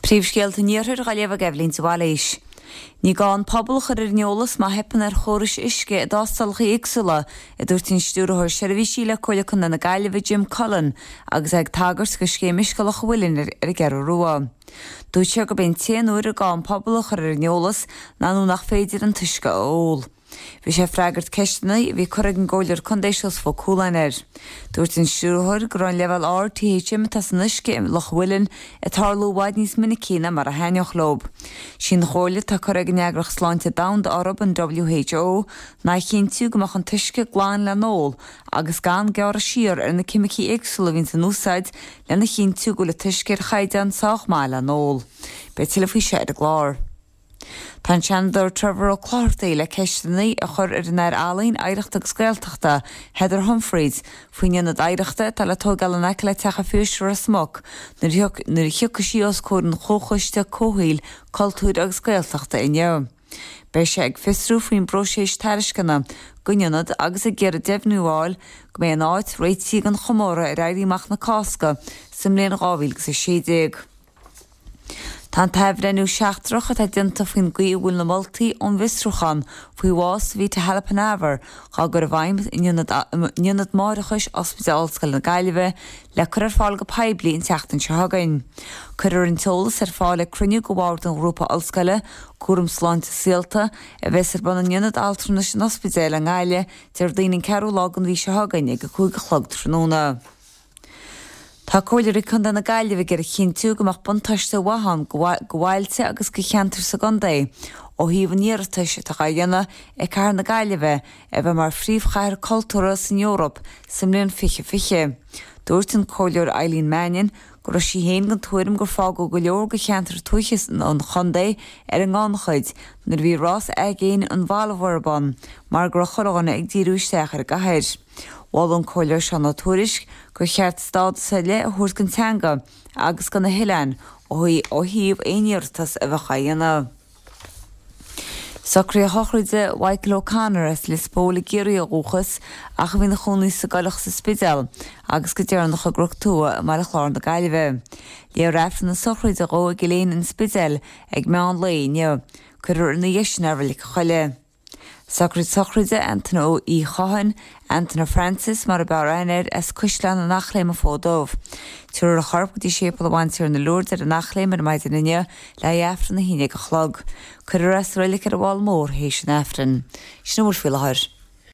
Príomhscéalta an Iarthair á léamh ag Eibhlín de Bhailís. Ní gá an pobal a chur ar an eolas má theipeann ar chórais uisce i dtástálacha éagsúla, a dúirt an Stiúrthóir Seirbhísí le Comhairle Contae na Gaillimhe Jim Cullen agus é ag tagairt do Scéim Uisce Loch an Mhuilinn ar an gCeathrú Rua. Dúirt sé gurb é an t-aon uair ar gá an pobal a chur ar an eolas ná nuair nach féidir an t-uisce a ól. Bhí sé ag freagairt ceisteanna a bhí curtha ag an gComhairleoir Contae Seosamh Ó Cualáin air. Dúirt an Stiúrthóir go raibh an leibhéal ard THM atá san uisce i Loch an Mhuilinn ag tarlú i bhfad níos minicí ná mar a thaitneodh leo. Sí an chomhairle atá curtha ag an Eagraíocht Sláinte Domhanda orthu, an WHO, ná a chinntiú go mbeadh an t-uisce glan le n-ól agus gan gearradh siar ar na ceimicí éagsúla a bhíonns in úsáid lena chinntiú go bhfuil an t-uisce ar chaighdeán sách maith le n-ól. Beidh tuilleadh faoi seo ar an gclár. Tá an Seanadóir Trevor Ó Clochartaigh le ceisteanna a chur ar an Aire Ealaíon, Oidhreachta agus Gaeltachta, Heather Humphreys, faoin ionad oidhreachta atá le tóigeáil in aice le Teach an Phiarsaigh Ros Muc nuair a thiocfaidh sí os comhair an Chomhchoiste Comhshaoil, Cultúir agus Gaeltachta inniu. Beidh sé ag fiosrú faoin bpróiseas tairisceana don ionad agus ag iarraidh deimhniú a fháil go mbeidh an áit réitithe don chomóradh ar Éirí Amach na Cásca sa mbliain 2016. Tá an t-athbhreithniú seachtrach atá déanta faoin gcaoi a bhfuil na moltaí ón bhfiosrúchán faoi bhás Savita Halappanavar á gcur i bhfeidhm in Ionad Máithreachais Ospidéal Ollscoile na Gaillimhe le cur ar fáil go poiblí an tseachtain seo chugainn. Cuirfear an t-eolas ar fáil ag cruinniú de bhord an Ghrúpa Ollscoile, Cúram Sláinte Saolta, a bheas ar bun in Ionad Altranais an Ospidéil i nGaillimh Déardaoin an 4ú lá den mhí seo chugainn ag 5 a chlog tráthnóna. Tá Comhairleoirí Contae na Gaillimhe ag iarraidh a chinntiú go mbeadh buntáiste mhaith ann do bhailte agus do cheantair sa gcontae ó thaobh an iarratais atá á dhéanamh ag Cathair na Gaillimhe a bheith mar phríomhchathair cultúrtha san Eoraip sa mbliain 2020. Dúirt an Comhairleoir Eileen Mannion go raibh sí féin den tuairim gur fágadh go leor de cheantair tuaithe an chontae ar an ngannchuid nuair a bhí rás aigéin an Volvo ar bun mar go raibh chuile dhuine ag díriú isteach ar an gcathair. Mhol an Comhairleoir Seán Ó Tuairisg gur cheart stádas ar leith a thabhairt don teanga agus do na hoileáin ó thaobh aon iarratas a bheadh á dhéanamh. Socruithe sochraide Mhichael O'Connor as Lios Póil i gCiarraí ó dhúchas ach a bhí ina chónaí sa gCoileach sa Spidéal agus go deireanach i gCnoc Tua i mBaile Chláir na Gaillimhe. Léifear Aifreann na sochraide dhó i gCill Éinne an Spidéil ag meán lae inniu. Cuirfear ina dhiaidh sin é i Reilig an Choilligh. Socraid sochraide Antaine Uí Chatháin, Antaine Francis mar a b'fhearr aithne air, as Caisleán an Eachléim an Fód Dubh. Tabharfar a chorp go dtí Séipéal an Bhantiarna Lourdes ar an Eachléim ar maidin inniu le haghaidh Aifreann 11 a chlog. Cuirfear é sa reilig ar an bhFál Mór théis an Aifrinn. Sin a bhfuil faoi láthair.